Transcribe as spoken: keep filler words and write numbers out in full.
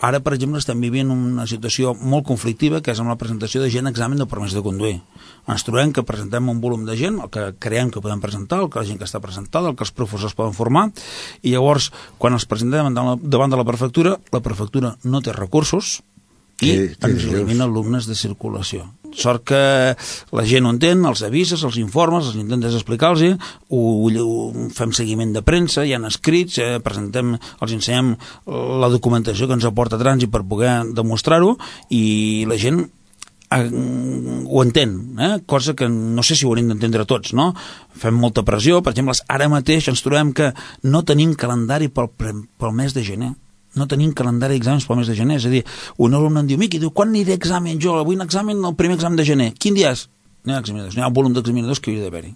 Ara, per exemple, estem vivint una situació molt conflictiva, que és amb la presentació de gent a examen de permís de conduir. Ens trobem que presentem un volum de gent, el que creiem que podem presentar, el que la gent que està presentada, el que els professors poden formar, i llavors, quan els presentem davant de la prefectura, la prefectura no té recursos i ens elimina alumnes de circulació. Sort que la gent ho entén, els avises, els informes, els intentes explicar-los, fem seguiment de premsa, hi ha escrits, eh, presentem, els ensenyem la documentació que ens aporta trànsit per poder demostrar-ho, i la gent eh, ho entén, eh? Cosa que no sé si ho hauríem d'entendre tots, no? Fem molta pressió, per exemple, ara mateix ens trobem que no tenim calendari pel, pel mes de gener. No tenim calendari d'exàmens pel mes de gener, és a dir, un alumne em diu, Miqui, diu, quan aniré a examen jo? Avui un examen, el primer examen de gener. Quin dia és? No hi ha examinadors, no hi ha un volum d'examinadors que hi hauria d'haver-hi.